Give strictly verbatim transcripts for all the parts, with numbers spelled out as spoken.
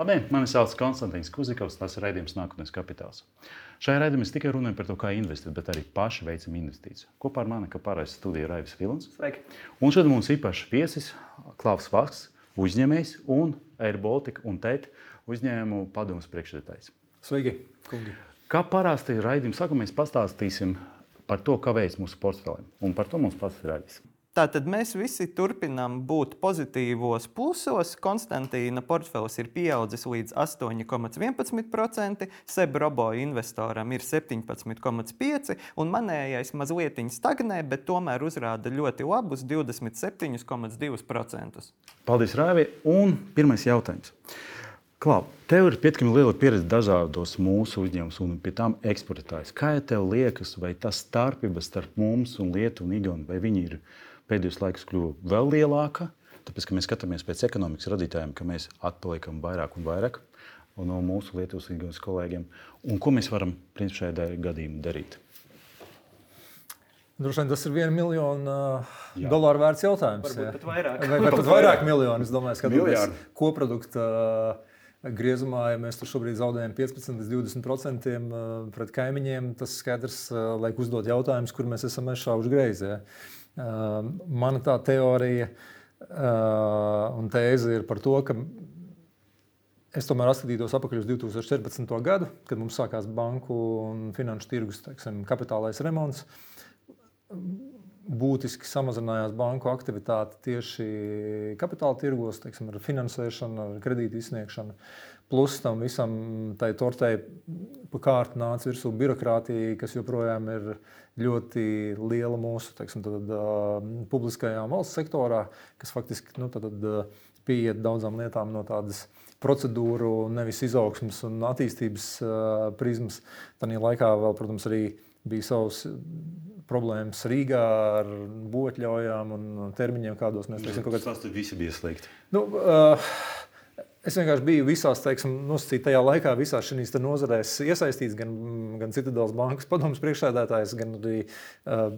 Labdien, mani sauc Konstantīns Kuzikovs, tas ir raidījums Nākotnes kapitāls. Šajā raidījumā es tikai runāju par to, kā investēt, bet arī paši veicam investīciju. Kopā ar mani, kā pārējais studija, Raivis Vilons. Sveiki. Un šodien mums īpašs viesis Klaus Vakss, uzņēmējs un Air Baltica un T E T uzņēmumu padomes priekšsēdētājs. Sveiki, kungi. Kā parasti raidījuma sākumā mēs pastāstīsim par to, kā veids mūsu portfelim. Un par to mums pats ir Raivis. Tātad mēs visi turpinām būt pozitīvos plusos. Konstantīna portfelis ir pieaudzis līdz astoņi komats vienpadsmit procenti, Seb Robo investoram ir septiņpadsmit komats pieci procenti un manējais mazliet stagnē, bet tomēr uzrāda ļoti labus divdesmit septiņi komats divi procenti. Paldies, Raivi. Un pirmais jautājums. Klau, tev ir pietiekami liela pieredze dažādos mūsu uzņēmumus un pie tām eksportētājs. Kā tev liekas, vai tas starpības starp mums un Lietuvu un Igauniju, vai viņi ir pēdējos laikos kļuva vēl lielāka, tāpēc, ka mēs skatāmies pēc ekonomikas radītājiem, ka mēs atpaliekam vairāk un vairāk no mūsu Lietuvas un Igaunijas kolēģiem. Un ko mēs varam principā šajā gadījumā darīt? Droši vien tas ir viena miljona Jā. dolāru vērts jautājums. Varbūt pat vairāk. Vai, vai pat vairāk miljonu, es domāju, skatoties koprodukta griezumā, ja mēs tur šobrīd zaudējam piecpadsmit līdz divdesmit procenti pret kaimiņiem, tas skaidrs, laik uzdot jautājumus, kur mēs esam šauši greizi. Ja. Uh, mana tā teorija uh, un tēze ir par to, ka es tomēr atskatītos atpakaļ uz divi tūkstoši četrpadsmito gadu, kad mums sākās banku un finanšu tirgus, teiksim, kapitālais remonts. Būtiski samazinājās banku aktivitāte tieši kapitāla tirgos, teiksim, ar finansēšanu, ar kredītu izsniegšanu. Plus tam visam tai tortei pa kārtu nāca virsū birokrātija, kas joprojām ir ļoti liela mūsu, teiksim, tad, uh, publiskajā valsts sektorā, kas faktiski nu, tad, uh, pieiet daudzām lietām no tādas procedūru, nevis izaugsmes un attīstības uh, prizmas. Tanī laikā vēl, protams, arī bija savs problēmas Rīgā ar būvatļaujām un termiņiem, kādos mēs teiksim, kaut kāds... Tas visi bija slikti. Nu, uh, es vienkārši biju visās, teiksim, nosacīt tajā laikā visās šīs nozarēs iesaistīts, gan, gan Citadeles bankas padomes priekšsēdētājs, gan arī uh,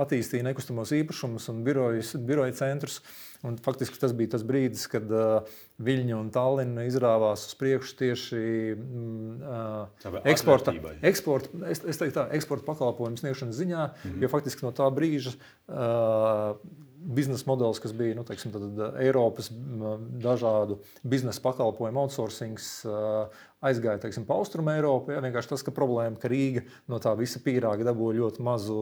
attīstīja nekustamos īpašumus un birojas, biroja centrus. Un faktiski tas bija tas brīdis, kad uh, Viļņa un Tallina izrāvās uz priekšu tieši uh, eksporta, eksporta, es, es teiktu tā, eksporta pakalpojumu sniegšanas ziņā, mm-hmm. jo faktiski no tā brīža uh, biznesa modelis, kas bija nu, teiksim, tad, Eiropas dažādu biznesa pakalpojumu outsourcings, aizgāja teiksim, pa Austrumu Eiropu. Ja, vienkārši tas, ka problēma, ka Rīga no tā visa pīrāga dabūja ļoti mazu,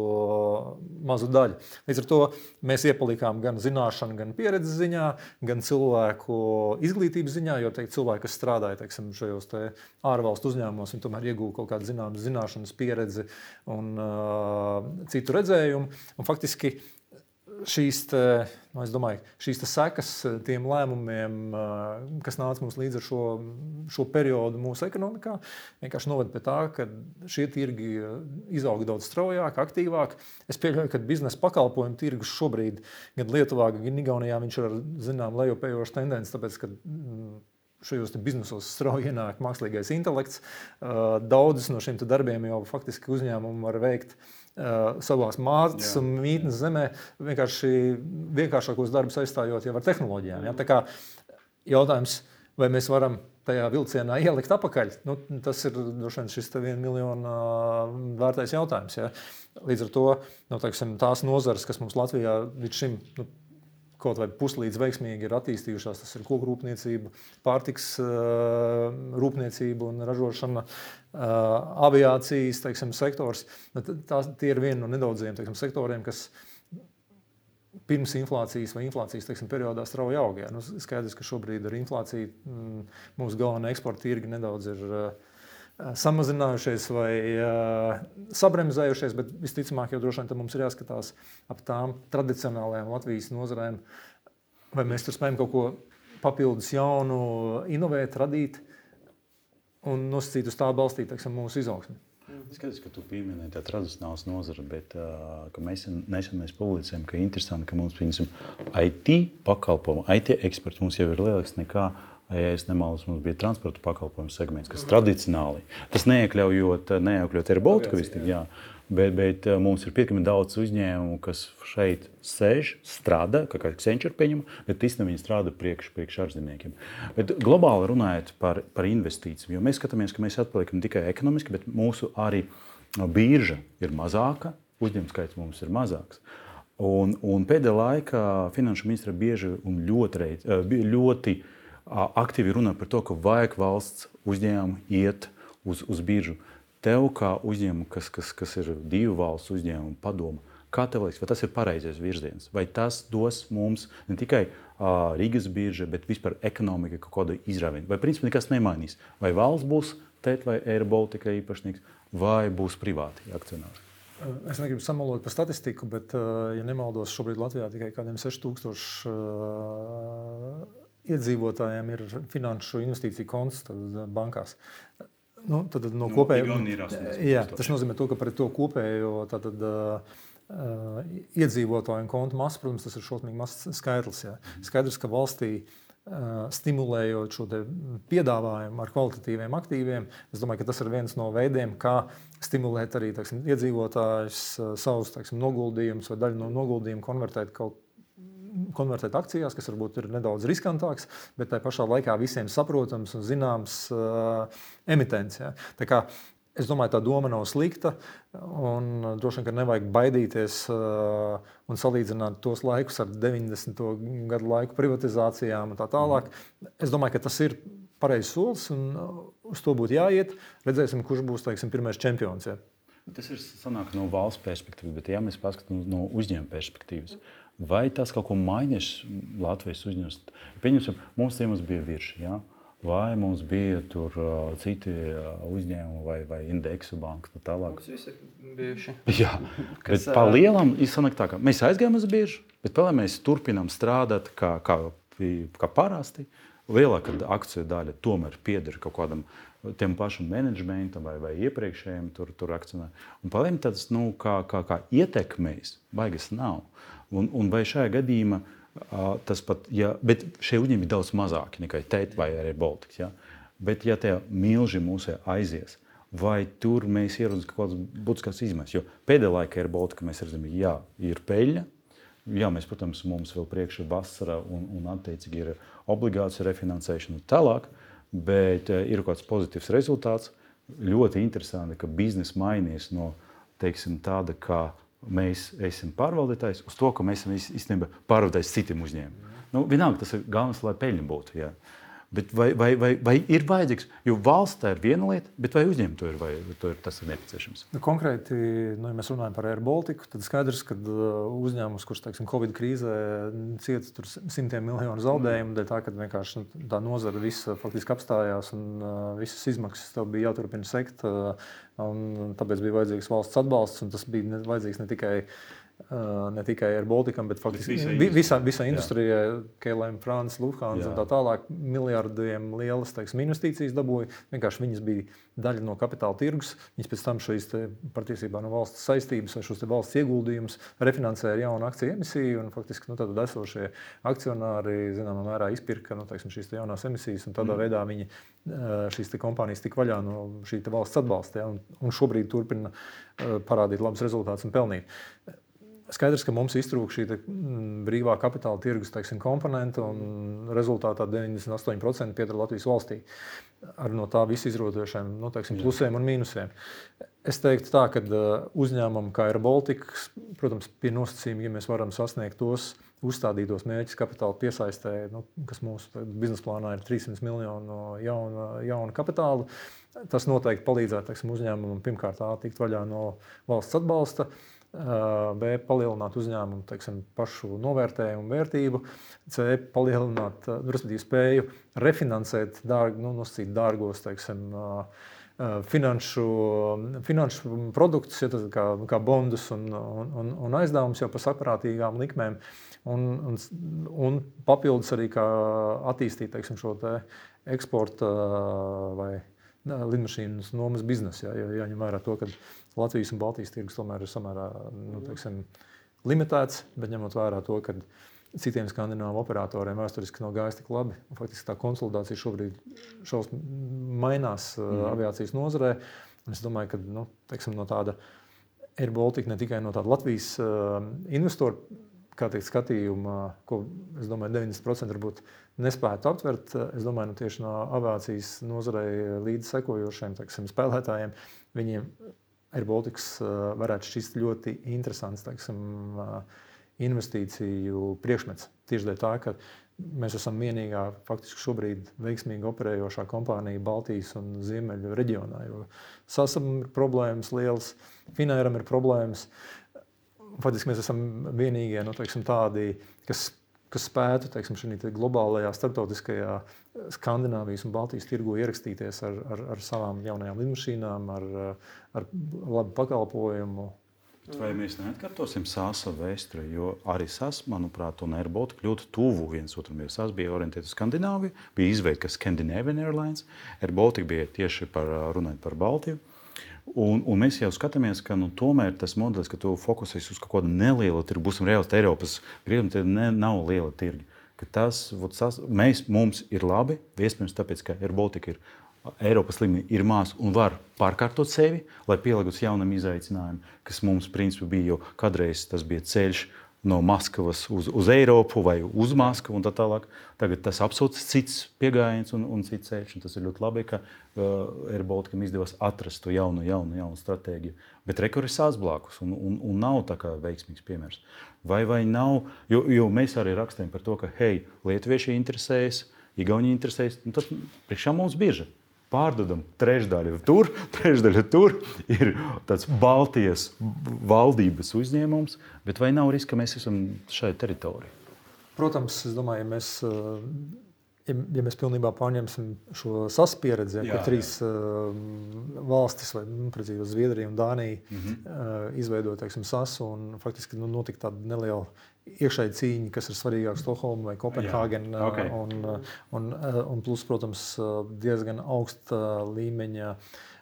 mazu daļu. Līdz ar to mēs iepalikām gan zināšanu, gan pieredzes ziņā, gan cilvēku izglītības ziņā, jo teikt, cilvēki, kas strādāja teiksim, šajos te ārvalstu uzņēmumos, viņi tomēr iegūja kaut kādu zināmas zināšanas, pieredzi un uh, citu redzējumu. Un faktiski šīs, te, nu, es domāju, šīs te sekas tiem lēmumiem, kas nāca mums līdz ar šo, šo periodu mūsu ekonomikā, vienkārši noved pie tā, ka šie tirgi izauga daudz straujāk, aktīvāk. Es pieļauju, ka biznesa pakalpojumu tirgus šobrīd gan Lietuvā, gan Igaunijā viņš ir ar zinām lejupējošu tendenci, tāpēc, ka šajos biznesos strauji ienāk mākslīgais intelekts. Daudzas no šiem darbiem jau faktiski uzņēmumi var veikt uh, savās mātes un mītnes zemē, vienkārši vienkāršākos darbus aizstājot jau ar tehnoloģijām. Ja? Tā kā jautājums, vai mēs varam tajā vilcienā ielikt apakaļ, nu, tas ir droši vien šis viena miljona vērtais jautājums. Ja? Līdz ar to nu, teiksim, tās nozares, kas mums Latvijā līdz šim nu, kaut vai puslīdz veiksmīgi ir attīstījušās, tas ir koku rūpniecība, pārtiks uh, rūpniecība un ražošana, uh, aviācijas teiksim, sektors. Tās, tie ir vieni no nedaudziem teiksim, sektoriem, kas pirms inflācijas vai inflācijas teiksim, periodā strauji aug. Nu, skaidrs, ka šobrīd ar inflāciju mm, mūsu galvenie eksporta tirgi nedaudz ir uh, samazinājušies vai uh, sabremzējušies, bet visticamāk jau droši vien mums ir jāskatās ap tām tradicionālajām Latvijas nozarēm, vai mēs tur spējam kaut ko papildus jaunu inovēt, radīt un nosacīt uz tā balstīt, teiksim, mūsu izaugsmi. Skaties, ka tu pieminēji tā tradicionāls nozara, bet uh, ka mēs nesen mēs publicējam, ka interesanti, ka mums, piemēram, I T pakalpojumu, I T eksperts mums jau ir lielāks nekā, ja es nemaldos, mums bija transporta pakalpojumu segments, kas tradicionāli, tas neiekļaujot, neiekļaujot Air Baltica, jā, bet, bet mums ir pietiekami daudz uzņēmumu, kas šeit sēž, strādā, kā kā Accenture pieņem, bet īstenībā viņi strādā priekš, priekš ārzemniekiem. Bet globāli runājot par, par investīcijām, jo mēs skatāmies, ka mēs atpaliekam tikai ekonomiski, bet mūsu arī birža ir mazāka, uzņēmuma skaits mums ir mazāks. Un, un pēdējā laikā finanšu ministra bieži un ļoti, ļoti aktīvi runā par to, ka vajag valsts uzņēmumu iet uz, uz biržu. Tev kā uzņēmumu, kas, kas, kas ir divu valstu uzņēmumu padoma, kā tev liekas, vai tas ir pareizais virziens? Vai tas dos mums ne tikai uh, Rīgas birža, bet vispār ekonomika kaut kādu izrāvienu? Vai principā nekas nemainīs? Vai valsts būs tēt vai Air Baltica īpašnieks, vai būs privāti akcionāri? Es negribu samalot par statistiku, bet, ja nemaldos, šobrīd Latvijā tikai kādiem seši tūkstoši uh, iedzīvotājiem ir finanšu investīciju konts bankās. Nu, tad, no kopējo, jā, tas nozīmē, to, ka par to kopējo tātad, uh, iedzīvotāju kontu masu, protams, tas ir šausmīgi mazs skaitlis. Jā. Skaidrs, ka valstī uh, stimulējot šo piedāvājumu ar kvalitatīviem aktīviem, es domāju, ka tas ir viens no veidiem, kā stimulēt arī teiksim, iedzīvotājus uh, savus teiksim, noguldījumus vai daļu no noguldījumu konvertēt kaut konvertēt akcijās, kas varbūt ir nedaudz riskantāks, bet tā pašā laikā visiem saprotams un zināms uh, emitents. Ja. Tā kā, es domāju, tā doma nav slikta un droši vien, ka nevajag baidīties uh, un salīdzināt tos laikus ar deviņdesmito gadu laiku privatizācijām un tā tālāk. Es domāju, ka tas ir pareizs solis un uz to būtu jāiet. Redzēsim, kurš būs, teiksim, pirmais čempions. Ja. Tas ir sanāk no valsts perspektīvas, bet ja mēs paskatām no uzņēmuma perspektīvas, vai tas kaut ko mainīs Latvijas uzņēmums? Pieņemsim, mums tiem bija virši, ja? Vai mums bija tur uh, citi uh, uzņēmumi vai, vai indeksu bankas un tālāk? Mums visi ir bijuši. Jā, bet pa lielam izsanāk tā, ka mēs aizgājām uz biežu, bet vēl mēs turpinām strādāt kā, kā, kā parasti. Lielākā akciju daļa tomēr pieder kaut kādam tiem pašam menedžmentam vai, vai iepriekšējiem tur, tur akcionāriem. Un paliem tāds, nu, kā, kā, kā ietekmēs, baigas nav. Un, un vai šajā gadījumā uh, tas pat, ja, bet šie uzņēmumi ir daudz mazāki nekā tēt vai arī Baltics, ja? Bet ja tie milži mūsē aizies, vai tur mēs ieraudzām kaut kādas būtiskas izmaiņas? Jo pēdējā laikā ir Baltica, mēs redzam, jā, ir peļņa. Jā, mēs, protams, mums vēl priekšā vasara un, un attiecīgi ir obligāciju refinansēšana un tālāk, bet uh, ir kaut kāds pozitīvs rezultāts. Ļoti interesanti, ka biznesa mainīs no, teiksim, tāda, kā mēs esam pārvaldītājs, uz to, ka mēs esam īstenībā pārvaldītājs citiem uzņēmumiem. Nu, vienalga, tas ir galvenais, lai peļņa būtu. Jā. Bet vai, vai, vai, vai ir vajadzīgs, jo valsts tā ir viena lieta, bet vai uzņēmumi to ir, vai to ir, tas ir nepieciešams? Nu, konkrēti, nu, ja mēs runājam par Air Baltica, tad skaidrs, ka uzņēmums, kurš teiksim, Covid krīzē cieta tur simtiem miljonu zaudējumu, dēļ tā, ka vienkārši tā nozara visa faktiski apstājās un uh, visas izmaksas tev bija jāturpina sekt, uh, un tāpēc bija vajadzīgs valsts atbalsts, un tas bija vajadzīgs ne tikai Uh, ne tikai ar Baltikam, bet faktiski visā, visā industrijā, K L M, France, Lufthansa un tā tālāk, miljardiem lielas teiksim, investīcijas dabūja. Vienkārši viņas bija daļa no kapitāla tirgus. Viņas pēc tam šīs te, patiesībā no valsts saistības vai šos te valsts ieguldījumus refinansēja ar jaunu akciju emisiju, un faktiski nu, tad esošie akcionāri zināmā mērā izpirka nu, teiksim, šīs te jaunās emisijas, un tādā mm. veidā viņi šīs te kompānijas tik vaļā no šī te valsts atbalsta, ja, un, un šobrīd turpina parādīt labus rezultātus un pelnīt. Skaidrs, ka mums iztrūk šī te, m, brīvā kapitāla tirgus teiksim, komponenta, un rezultātā deviņdesmit astoņi procenti pieder Latvijas valstī. Ar no tā visu izrotošiem nu, teiksim, plusiem un mīnusiem. Es teiktu tā, ka uzņēmumam kā Air Baltica, protams, pie nosacījuma, ja mēs varam sasniegt tos uzstādītos mērķus kapitāla piesaistē, nu, kas mūsu biznesa plānā ir trīssimti miljonu jauna, jauna kapitāla, tas noteikti palīdzētu teiksim, uzņēmumam pirmkārt A tikt vaļā no valsts atbalsta, B. palielināt uzņēmumu teiksim, pašu novērtējumu vērtību, C. palielināt, respektīvi spēju refinansēt dārg, nu, nosacīt dārgos teiksim, finanšu, finanšu produktus, ja, kā, kā bondus un, un, un aizdevumus jau par saprātīgām likmēm, un, un, un papildus arī kā attīstīt teiksim, šo te eksporta vai lidmašīnas nomas biznesu. Jā, jo jāņem vērā to, ka Latvijas un Baltijas tirgus tomēr ir samērā nu, teiksim, limitēts, bet ņemot vērā to, ka citiem skandināvu operatoriem vēsturiski nav gājis tik labi. Faktiski tā konsolidācija šobrīd šaus mainās mm. aviācijas nozarē. Un es domāju, ka nu, teiksim, no tāda Air Baltica ne tikai no tāda Latvijas uh, investoru, kā teikt, skatījuma, ko, es domāju, deviņdesmit procenti varbūt nespētu aptvert. Es domāju, nu, tieši no aviācijas nozarei līdz sekojošiem, teiksim, spēlētājiem, viņiem Air Baltics uh, varētu šķist ļoti interesants, teiksim, uh, investīciju priekšmets. Tieši dēļ tā, ka mēs esam vienīgā, faktiski šobrīd veiksmīgi operējošā kompānija Baltijas un Ziemeļu reģionā, jo Sasam ir problēmas lielas, Finairam ir problēmas. Faktiski mēs esam vienīgie, nu, teiksim, tādi, kas, kas spētu, teiksim, šajā globālajā, starptautiskajā Skandināvijas un Baltijas tirgu ierakstīties ar, ar, ar savām jaunajām lidmašīnām, ar, ar labu pakalpojumu. Vai mēs neatkārtosim Sasa vēsturi, jo arī Sas, manuprāt, un Air Baltica ļoti tuvu viens otram. Sas bija orientēta uz Skandināviju, bija izveidta kā Scandinavian Airlines, Air Baltica bija tieši par, runājot par Baltiju. Un, un mēs jau skatāmies, ka nu, tomēr tas modelis, ka tu fokusējies uz kaut kādu nelielu tirgu, būsim reāli Eiropas, gribam, tie ne, nav liela tirgi. Ka tas, vot, sas, mēs, mums ir labi, iespējams tāpēc, ka Air Baltica ir Eiropas līmenī ir mās un var pārkārtot sevi, lai pielāgotos jaunam izaicinājumam, kas mums principā bija, jo kādreiz tas bija ceļš no Maskavas uz, uz Eiropu vai uz Maskavu un tā tālāk. Tagad tas absolūti cits pieejams un, un cits ceļš. Un tas ir ļoti labi, ka uh, Air Balticam izdevās atrast to jaunu, jaunu, jaunu stratēģiju. Bet rekord ir Sas blakus un, un, un nav tā kā veiksmīgs piemērs. Vai, vai nav, jo, jo mēs arī rakstām par to, ka hei, lietuvieši interesējas, Igauni interesējas, un tad priekšā mums bieži. Pārdodam trešdaļu tur, trešdaļu tur, ir tāds Baltijas valdības uzņēmums, bet vai nav riska, ka mēs esam šai teritorijai? Protams, es domāju, ja mēs, ja, ja mēs pilnībā pārņemsim šo Sas pieredzi, kur trīs uh, valstis, vai nu, precīzi Zviedrija un Dānija, mm-hmm. uh, izveidoja, teiksim, Sas, un faktiski nu, notika tāda neliela iekšēji cīņa, kas ir svarīgāk Stokholma vai Kopenhāgena, okay. un, un, un plus, protams, diezgan augsta līmeņa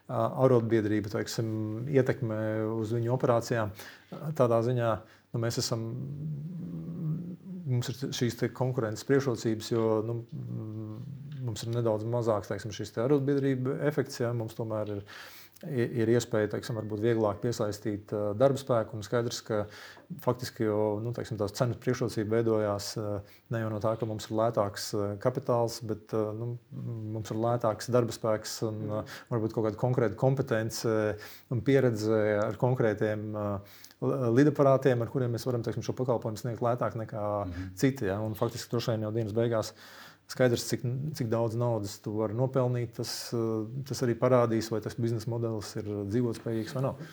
arotbiedrība, teiksim, ietekme uz viņu operācijām. Tādā ziņā nu, mēs esam, mums ir šīs te konkurences priekšrocības, jo nu, mums ir nedaudz mazāks, teiksim, šis te arotbiedrība efekts, ja, mums tomēr ir ir iespēja, teiksim, varbūt vieglāk piesaistīt uh, darba spēku, un skaidrs, ka faktiski jau, nu, teiksim, tās cenas priekšrocība veidojās uh, ne jau no tā, ka mums ir lētāks uh, kapitāls, bet uh, nu, mums ir lētāks darba spēks un uh, varbūt kaut kāda konkrēta kompetence un pieredze ar konkrētiem uh, lidaparātiem, ar kuriem mēs varam, teiksim, šo pakalpojumu sniegt lētāk nekā mm-hmm. citi. Ja? Un faktiski droši vien jau dienas beigās skaidrs, cik, cik daudz naudas tu vari nopelnīt, tas, tas arī parādīs, vai tas biznesa modelis ir dzīvotspējīgs vai nav.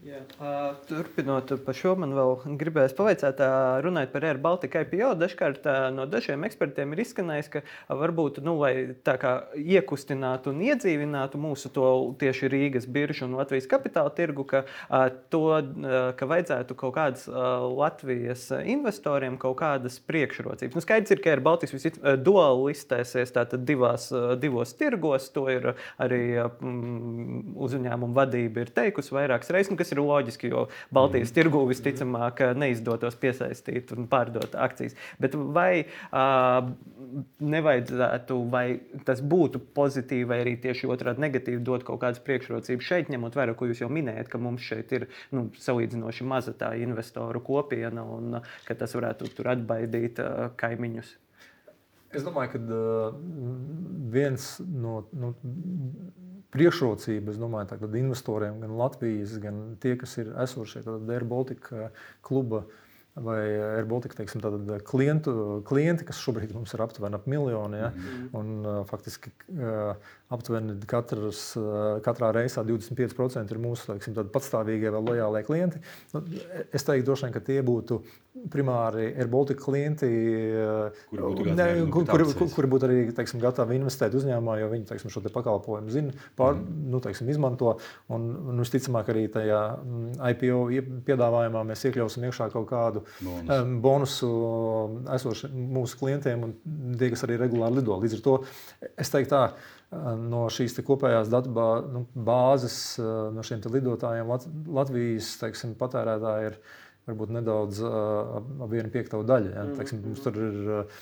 Jā. Uh, turpinot par šo, man vēl gribēs pavaicāt, uh, runājot par Air Baltica I P O. Dažkārt uh, no dažiem ekspertiem ir izskanējis, ka uh, varbūt, nu, lai tā kā iekustinātu un iedzīvinātu mūsu to tieši Rīgas biržu un Latvijas kapitāla tirgu, ka uh, to, uh, ka vajadzētu kaut kādas uh, Latvijas investoriem kaut kādas priekšrocības. Nu, skaidrs ir, ka Air Baltica visit uh, duāli listēsies tātad divās, uh, divos tirgos. To ir arī uh, uzņēmuma vadība ir teikusi vairākas reizes, nu, kas ir loģiski, jo Baltijas tirgū visticamāk neizdotos piesaistīt un pārdot akcijas. Bet vai uh, nevajadzētu, vai tas būtu pozitīvi, vai arī tieši otrādi negatīvi dot kaut kādas priekšrocības šeit, ņemot vērā, ko jūs jau minējat, ka mums šeit ir nu, salīdzinoši maza tā investoru kopiena un ka tas varētu tur atbaidīt uh, kaimiņus? Es domāju, ka uh, viens no... no priekšrocība, es domāju, tagad investoriem, gan Latvijas, gan tie, kas ir esošie Air Baltica kluba vai Air Baltica, teiksim, tātad klientu, klienti, kas šobrīd mums ir aptuveni ap miljoni, ja? Mm-hmm. Un uh, faktiski uh, aptuveni katras, uh, katrā reisā divdesmit pieci procenti ir mūsu, teiksim, tādi patstāvīgie vai lojālie klienti. Nu, es teiktu droši vien, ka tie būtu primāri Air Baltica klienti, kuri būtu, ne, kur, kur, kur, kur būtu arī, teiksim, gatavi investēt uzņēmumā, jo viņi, teiksim, šo te pakalpojumu zina, pār, mm. nu, teiksim, izmanto. Un, un visticamāk arī tajā I P O piedāvājumā mēs iekļausim iekšā kaut kādu bonus. um, bonusu esoši mūsu klientiem un tie, kas arī regulāri lido. Līdz ar to es teiktu tā, no šīs te kopējās datu bā, nu, bāzes, no šiem te lidotājiem Lat, Latvijas, teiksim, patērētāji ir varbūt nedaudz uh, ap vienu piektavu daļu. Ja? Teiksim, mums tur ir uh,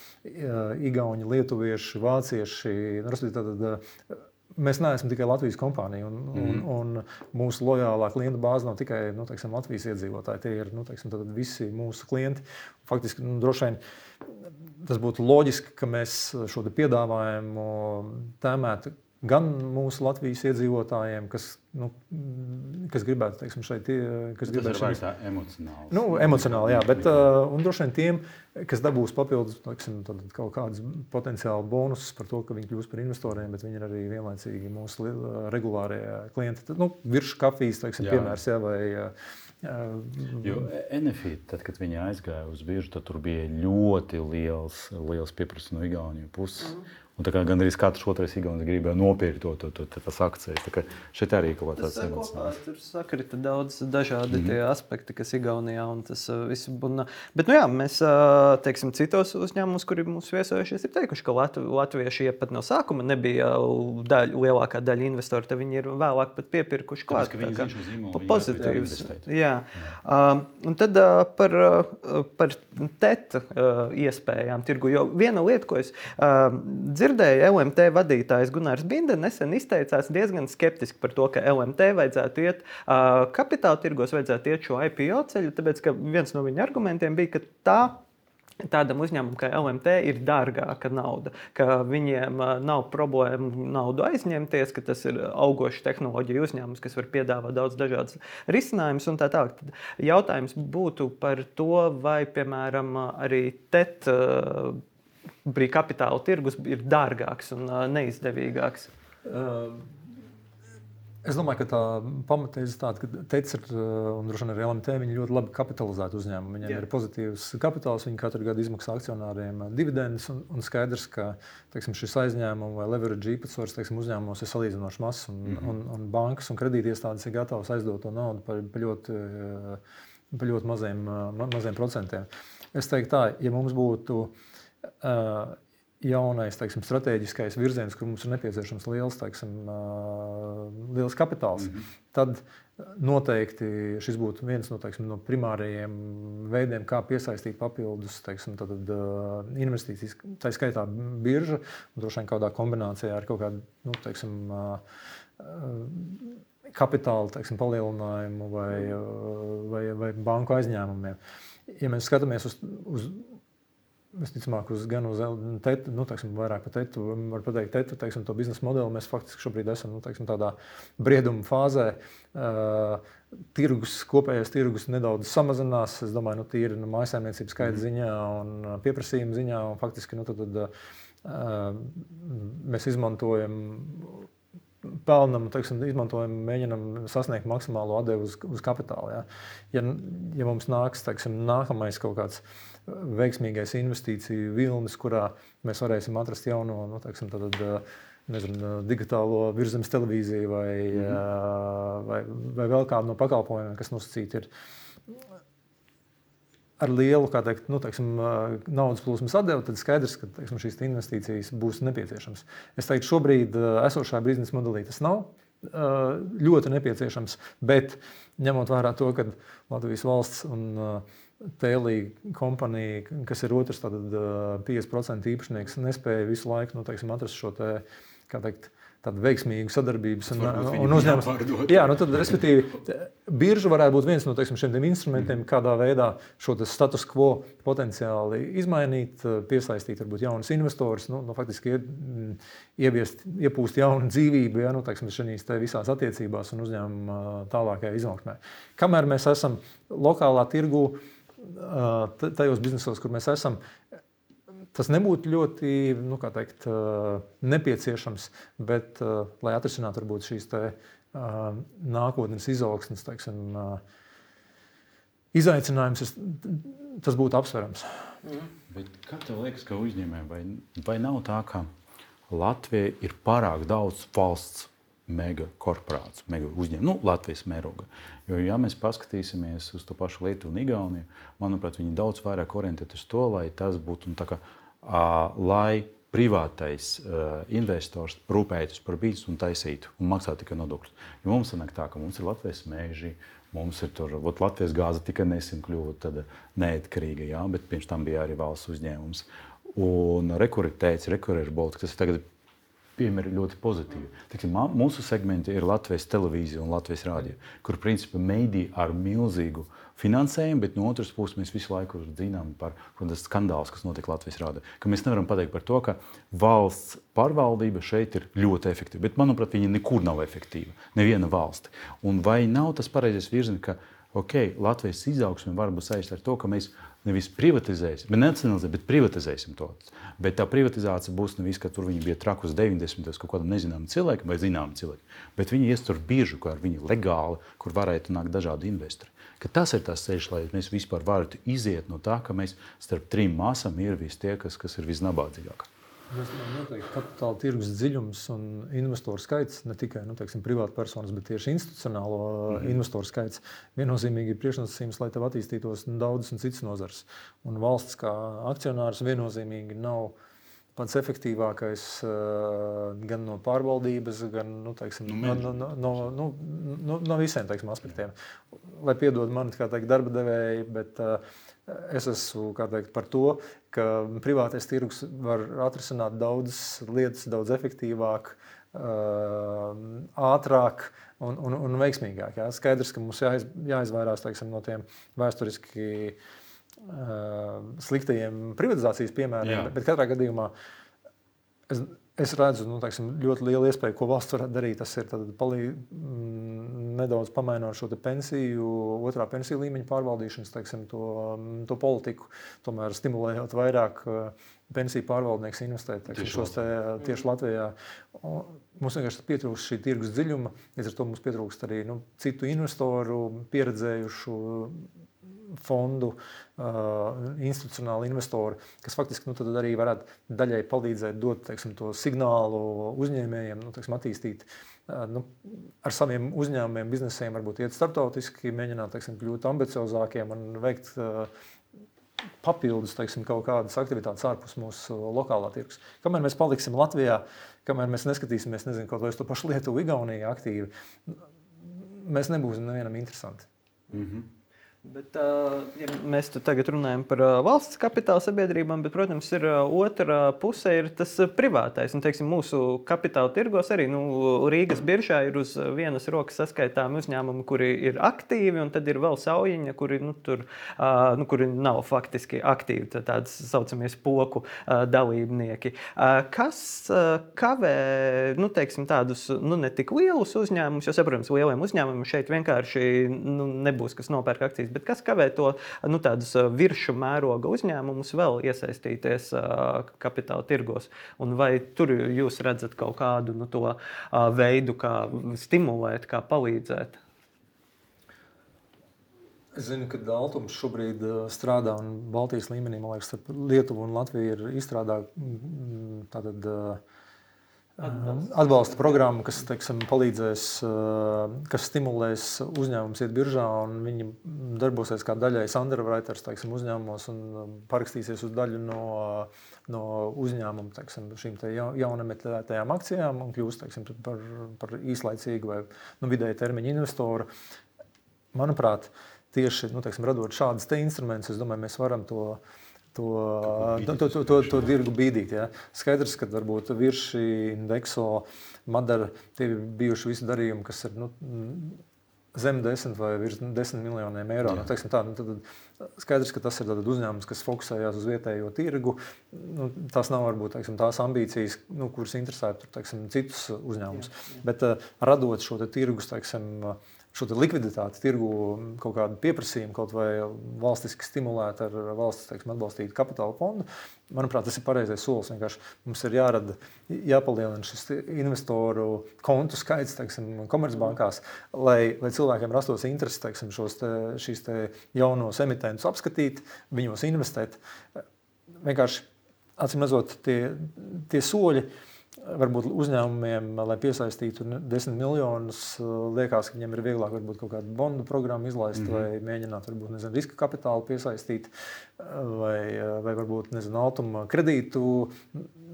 igauņi, lietuvieši, vācieši. Tātad, uh, mēs neesam tikai Latvijas kompānija, un, mm. un, un mūsu lojālā klienta bāze nav tikai nu, teiksim, Latvijas iedzīvotāji. Tie ir nu, teiksim, visi mūsu klienti. Faktiski, nu, droši vien tas būtu loģiski, ka mēs šo piedāvājumu tēmētu gan mūsu Latvijas iedzīvotājiem, kas, nu, kas gribētu, teiksim, šeit, kas gribētu šeit... Tā emocionāli. Nu, emocionāli, jā, bet uh, un droši vien tiem, kas dabūs papildus, teiksim, kaut kādus potenciāli bonusus par to, ka viņi kļūst par investoriem, bet viņi ir arī vienlaicīgi mūsu regulārie klienti. Nu, virs kafijas, teiksim, piemērs, jā, vai... Uh, jo N F I, tad, kad viņi aizgāja uz biržu, tad tur bija ļoti liels, liels pieprasījums no Igaunijas puses. Mm. Un tā kā gandrīz katrs otrais igaunis gribēja nopirkt to, to, to, to, tas akcijas. Tā kā šeit arī kaut kāds emocionāls. Tur sakrita daudz dažādi mm-hmm. tie aspekti, kas Igaunijā un tas uh, viss būna. Bet, nu jā, mēs, uh, teiksim, citos uzņēmumus, kuri mūs viesojušies, ir teikuši, ka Latv latvieši pat no sākuma nebija daļa, lielākā daļa investori, tad viņi ir vēlāk pat piepirkuši klāt. Tāpēc, ka viņi zina šo zīmolu, pozitīvs. Jā. jā. Uh, un tad uh, par, uh, par teta uh, iespējām tirgu, jo viena lieta, ko es uh, dzirdēju, L M T vadītājs Gunārs Binde nesen izteicās diezgan skeptiski par to, ka L M T vajadzētu iet uh, kapitāla tirgos, vajadzētu iet šo I P O ceļu, tāpēc, ka viens no viņa argumentiem bija, ka tā tādam uzņēmumam kā L M T ir dārgāka nauda, ka viņiem uh, nav problēma naudu aizņemties, ka tas ir augošs tehnoloģiju uzņēmums, kas var piedāvāt daudz dažādas risinājumus un tā tālāk. Jautājums būtu par to, vai, piemēram, arī T E T uh, brīv kapitāla tirgus ir dārgāks un uh, neizdevīgāks? Uh, es domāju, ka tā pamatēze ir tāda, ka T E T ir un droši vien arī L M T, viņi ļoti labi kapitalizēti uzņēmumi. Viņiem Jā. ir pozitīvs kapitāls, viņi katru gadu izmaksā akcionāriem dividendus un, un skaidrs, ka teiksim, šis aizņēmumu vai leverage īpatsvars teiksim, uzņēmumos ir salīdzinoši mazs un, mm-hmm. un, un bankas un kredītiestādes ir gatavas aizdot to naudu par, par, ļoti, par ļoti maziem, ma, maziem procentiem. Es teiktu tā, ja mums būtu Uh, jaunais, teiksim, strateģiskais virziens, kur mums ir nepieciešams liels, teiksim, uh, liels kapitāls, mm-hmm. tad noteikti šis būtu viens no, teiksim, no primārajiem veidiem, kā piesaistīt papildus, teiksim, tad, uh, investīcijas, tā skaitā birža, un droši vien kādā kombinācijā ar kaut kādu, nu, teiksim, uh, uh, kapitāla, teiksim, palielinājumu vai, uh, vai, vai banku aizņēmumiem. Ja mēs skatāmies uz, uz Visticamāk, uz, gan uz tetu, nu, teiksim, vairāk par tetu, var pateikt tetu, teiksim, to biznesa modeli. Mēs faktiski šobrīd esam nu, teiksim, tādā brieduma fāzē. Uh, tirgus, kopējais tirgus nedaudz samazinās. Es domāju, nu, tīri nu, mājsaimniecības skaita ziņā un pieprasījuma ziņā. Un faktiski nu, tad, tad, uh, mēs izmantojam pelnam, teiksim, izmantojam, mēģinam sasniegt maksimālo atdevi uz, uz kapitālu. Ja? Ja, ja mums nāks, teiksim, nākamais kaut kāds veiksmīgais investīciju vilnis, kurā mēs varēsim atrast jauno, nu, teiksim, tad, nezinu, digitālo virzemes televīziju vai, mm-hmm. vai, vai vēl kādu no pakalpojumiem, kas nosacīti ir ar lielu, kā teikt, nu, teiksim, naudas plūsmas atdevi, tad skaidrs, ka teiksim, šīs investīcijas būs nepieciešamas. Es teiktu, šobrīd esošā biznesa modelī tas nav ļoti nepieciešams, bet ņemot vērā to, ka Latvijas valsts un Tēlī kompanija, kas ir otrs tātad piecdesmit procenti īpašnieks, nespēja visu laiku, nu, teiksim, atrast šo te, kā teikt, tādu veiksmīgu sadarbības un, un uzņēmumus. Jā, nu tad, respektīvi, birža varētu būt viens no, teiksim, šiem instrumentiem, kādā veidā šo status quo potenciāli izmainīt, piesaistīt varbūt jaunus investorus, nu, nu faktiski ieviest, iepūst jaunu dzīvību, ja, nu, teiksim, šīs te visās attiecībās un uzņēmuma tālākajā izaugsmē. Kamēr mēs esam lokālā tirgu, tajos biznesos, kur mēs esam, tas nebūtu ļoti, nu, kā teikt, nepieciešams, bet, lai atrisinātu varbūt šīs te nākotnes izaugsmes, teiksim, izaicinājums, tas būtu apsverams. Mm. Bet kā tev liekas, ka uzņēmējiem, vai, vai nav tā, ka Latvija ir pārāk daudz valsts mega korporāciju, mega uzņēmumu, nu, Latvijas mēroga. Jo, ja mēs paskatīsimies uz to pašu Lietuvu un Igauniju, manuprāt, viņi daudz vairāk orientēti uz to, lai tas būtu, nu, tā kā, uh, lai privātais uh, investors rūpētos par biznesu un taisītu un maksātu tikai nodokļus. Jo mums sanāk tā, ka mums ir Latvijas meži, mums ir tur, ot, Latvijas gāze tikai nesen kļuva tad neatkarīga, jā, bet pirms tam bija arī valsts uzņēmums. Un rekur ir teicis, rekur ir Baltika, tas ir tagad piemēri ļoti pozitīvi. Tiksim, mūsu segmenti ir Latvijas televīzija un Latvijas rādio, kur principā mediji ar milzīgu finansējumu, bet no otras puses mēs visu laiku zinām par skandālus, kas notiek Latvijas rādio. Ka mēs nevaram pateikt par to, ka valsts pārvaldība šeit ir ļoti efektīva, bet manuprāt, viņa nekur nav efektīva, neviena valsti. Un vai nav tas pareizais virziens, ka okay, Latvijas izaugsme var būt saistīta ar to, ka mēs nevis privatizēsim, bet nenacionalizēsim, bet privatizēsim to. Bet tā privatizācija būs nevis, ka tur viņi bija trakus deviņdesmitos kaut kādam nezināmam cilvēkam vai zināmam cilvēkam, bet viņi ies tur biržu, kā ar viņu legāli, kur varētu nākt dažādi investori. Ka tas ir tas ceļš, lai mēs vispār varētu iziet no tā, ka mēs starp trim masām ir visi tie, kas, kas ir visnabādzīgākie. Mēs noteikti kapitāla tirgus dziļums un investoru skaits, ne tikai nu, teiksim, privāta personas, bet tieši institucionālo mm-hmm. investoru skaits viennozīmīgi ir priekšnosacījums, lai tev attīstītos daudzas un citas nozars. Un valsts kā akcionārs viennozīmīgi nav pats efektīvākais gan no pārvaldības, gan nu, teiksim, no, no, no, no, no, no, no visiem teiksim, aspektiem. Lai piedod mani, kā teikt, darba devēji, bet es esmu teikt, par to, ka privātais tirgus var atrisināt daudzas lietas daudz efektīvāk, ātrāk un, un, un veiksmīgāk. Jā. Skaidrs, ka mums jāiz, jāizvairās teiksim, no tiem vēsturiski sliktajiem privatizācijas piemēriem, bet, bet katrā gadījumā es, es redzu nu, teiksim, ļoti lielu iespēju, ko valsts varētu darīt. Tas ir tad, palī, m, nedaudz pamainot šo pensiju, otrā pensiju līmeņa pārvaldīšanas teiksim, to, to politiku, tomēr stimulējot vairāk pensiju pārvaldnieks investēt teiksim, šos te, tieši Latvijā. Mums vienkārši pietrūkst šī tirgus dziļuma, līdz ar to mums pietrūkst arī nu, citu investoru, pieredzējušu fondu, uh, institucionāli investori, kas faktiski nu, tad arī varētu daļai palīdzēt dot teiksim, to signālu uzņēmējiem, nu, teiksim, attīstīt uh, nu, ar saviem uzņēmumiem, biznesiem, varbūt iet starptautiski, mēģināt teiksim, kļūt ambiciozākiem un veikt uh, papildus teiksim, kaut kādas aktivitātes ārpus mūsu lokālā tirgus. Kamēr mēs paliksim Latvijā, kamēr mēs neskatīsimies, nezinu, kaut vai uz to pašu Lietuvu, Igauniju aktīvi, mēs nebūsim nevienam interesanti. Mm-hmm. Bet, ja mēs tagad runājam par valsts kapitāla sabiedrībām, bet, protams, ir otra puse ir tas privātais. Un, teiksim, mūsu kapitāla tirgos arī nu, Rīgas biržā ir uz vienas rokas saskaitāmi uzņēmumi, kuri ir aktīvi, un tad ir vēl saujiņa, kuri, nu, tur, nu, kuri nav faktiski aktīvi, tādas saucamies poku dalībnieki. Kas kavē nu, teiksim, tādus nu, ne tik lielus uzņēmumus, jo, saprotams, lieliem uzņēmumiem šeit vienkārši nu, nebūs, kas nopērk akcijas. Bet kas kavē to nu, tādus viršu mēroga uzņēmumus vēl iesaistīties uh, kapitāla tirgos? Un vai tur jūs redzat kaut kādu nu, to uh, veidu, kā stimulēt, kā palīdzēt? Es zinu, ka Altums šobrīd strādā un Baltijas līmenī, man liekas, starp Lietuvu un Latviju ir izstrādā tātad Atbalsta. atbalsta programma, kas teiksim, palīdzēs, kas stimulēs uzņēmumus iet biržā, un viņi darbosies kā daļais underwriters teiksim, uzņēmumos un parakstīsies uz daļu no, no uzņēmumu teiksim, šīm te jaunemitētajām akcijām un kļūs teiksim, par, par īslaicīgu vai nu, vidēja termiņa investoru. Manuprāt, tieši nu, teiksim, radot šādas te instrumentus, es domāju, mēs varam to To, to, to, to, to dirgu bīdīt. Ja. Skaidrs, ka varbūt Virši, Indexo, Madara, tie ir bijuši visi darījumi, kas ir nu, zem desmit vai virs desmit miljoniem eiro. Nu, teiksim, tā, nu, tad skaidrs, ka tas ir uzņēmums, kas fokusējās uz vietējo tirgu. Nu, tās nav varbūt teiksim, tās ambīcijas, nu, kuras interesētu teiksim, citus uzņēmumus. Bet uh, radot šo te tirgus, teiksim, šo likviditāti, tirgu kaut kādu pieprasījumu, kaut vai valstiski stimulēt ar valsts teiksim, atbalstītu kapitāla fondu, manuprāt, tas ir pareizais solis. Vienkārši mums ir jārada, jāpalielina šis investoru kontu skaits teiksim, komercbankās, lai, lai cilvēkiem rastos interesi teiksim, šos te, šīs te jaunos emitentus apskatīt, viņos investēt. Vienkārši, acīm redzot, tie, tie soļi, varbūt uzņēmumiem, lai piesaistītu desmit miljonus, liekas, ka viņiem ir vieglāk varbūt kaut kādu bondu programmu izlaist mm-hmm. vai mēģināt varbūt, nezinu, riska kapitālu piesaistīt vai, vai varbūt, nezinu, Altuma kredītu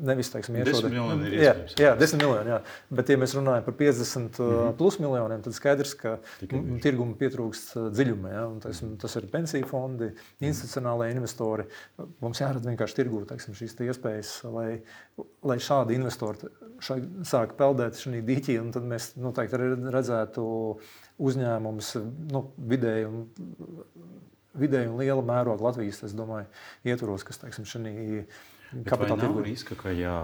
nevis, teiksim, desmit miljoni ir jā, iespējams. Jā, desmit miljoni, jā. Bet, ja mēs runājam par piecdesmit mm-hmm. plus miljoniem, tad skaidrs, ka tirguma pietrūkst dziļuma. Ja? Un, teiksim, tas ir pensiju fondi, institucionālai investori. Mums jārada vienkārši tirgū, teiksim, šīs iespējas, lai, lai šādi investori šai, sāk peldēt šajā dīķī, un tad mēs noteikti arī redzētu uzņēmumus nu, vidēji un, vidēji un liela mēroga Latvijas, es domāju, ietvaros, kas, teiksim, šajā kapitāla tirgu. Nav riska, ka, jā,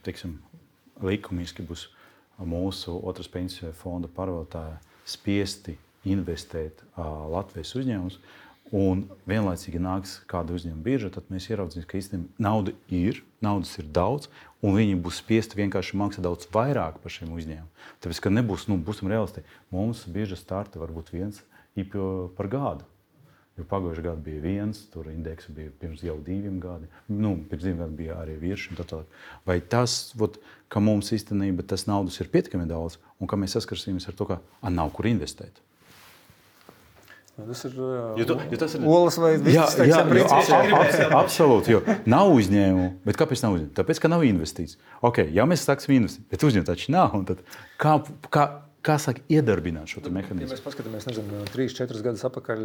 teiksim, likumiski būs mūsu otras pensiju fonda pārvaldotāji spiesti investēt uh, Latvijas uzņēmumus, un vienlaicīgi nāks kāda uzņēmuma birža, tad mēs ieraudzīsim, ka īstenībā nauda ir, naudas ir daudz, un viņi būs spiesti vienkārši maksāt daudz vairāk par šiem uzņēmumiem. Tāpēc, ka nebūs, nu, būsim realisti, mums birža starta varbūt viens I P O par gadu. Jo pagājušajā gadā bija viens, tur indeksa bija pirms jau diviem gadiem. Nu, pirms diviem gadiem bija arī virs un tā tālāk. Vai tas, vot, ka mums īstenībā tas naudas ir pietiekami daudz, un ka mēs saskarsimies ar to, ka a, nav kur investēt? Tas ir jo tu, jo tas ir olas vai viss, teiksim, princips. Absolūti, jo nav uzņēmumu. Bet kāpēc nav uzņēmumu? Tāpēc, ka nav investīcijas. Ok, ja mēs sāksim investīt, bet uzņēmumu taču nav. Un tad kā, kā, kā sāk iedarbināt šo mehānismu? Ja mēs paskatāmies, nezinu, trīs, četrus gadus atpakaļ,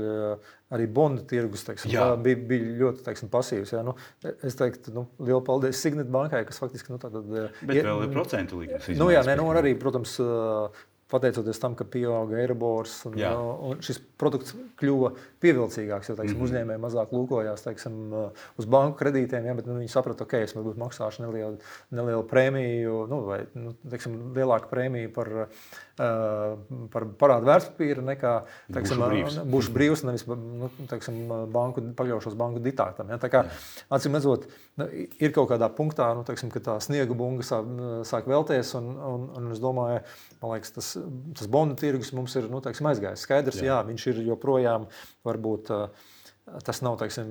arī bondu tirgus, teiksim, bija, bija ļoti, teiksim, pasīvs. Jā. Nu, es teiktu, nu, lielu paldies Signet bankai, kas faktiski, nu, tātad... Bet ja, vēl ir procentu likmes. Nu, jā, ne, nu, arī, protams, pateicoties tam, ka pieauga Eiribors un, un šis produkts kļuva pievilcīgāks, jo, teiksim, mm-hmm. uzņēmēji mazāk lūkojās, teiksim, uz banku kredītiem, ja, bet nu, viņi saprata, ok, es varbūt maksāšu nelielu, nelielu prēmiju, nu, vai, nu, teiksim, lielāku prēmiju par, uh, par parādu vērtspapīru nekā, teiksim, būšu brīvs, būšu brīvs nevis, nu, teiksim, banku, pakļaušos banku diktātam. Ja. Tā kā, acīm redzot, ir kaut kādā punktā, nu, teiksim, ka tā sniega bunga sāk, sāk velties, un, un, un es domāju, man liekas, tas, tas bondu tirgus mums ir, nu, teiksim, aizgājis. Skaidrs, jā. jā, viņš ir joprojām, varbūt, tas nav, teiksim,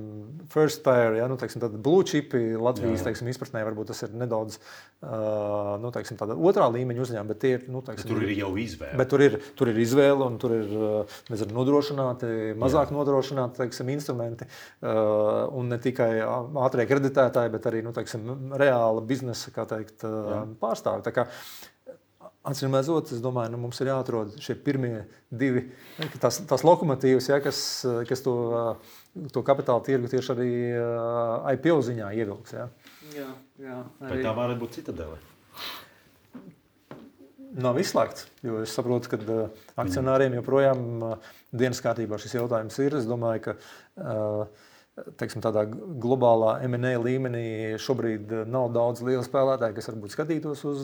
first tier, ja, nu, teiksim, tad blue chipi Latvijas, teiksim, izpratnē, varbūt tas ir nedaudz, uh, nu, teiksim, tāda otrā līmeņa uzņēmuma, bet tie ir, nu, teiksim... Bet tur ir jau izvēle. Bet tur ir, tur ir izvēle, un tur ir, nezinu, nodrošināti, mazāk jā. nodrošināti, teiksim, instrumenti, uh, un ne tikai ātrie kreditētāji, bet arī, nu, teiksim, reāla biznesa, kā teikt, uh, pārstāvi. Tā kā, acīm redzot, es domāju, nu, mums ir jāatrod šie pirmie divi, tās, tās lokomotīvas, ja, kas, kas to, to kapitāla tirgu tieši arī I P O ziņā ievilks. Ja. Jā, jā. Arī... Vai tā varētu būt Citadele? Nav izslēgts, jo es saprotu, ka akcionāriem joprojām dienas kārtībā šis jautājums ir. Es domāju, ka teiksim, tādā globālā M and A līmenī šobrīd nav daudz lielu spēlētāju, kas varbūt skatītos uz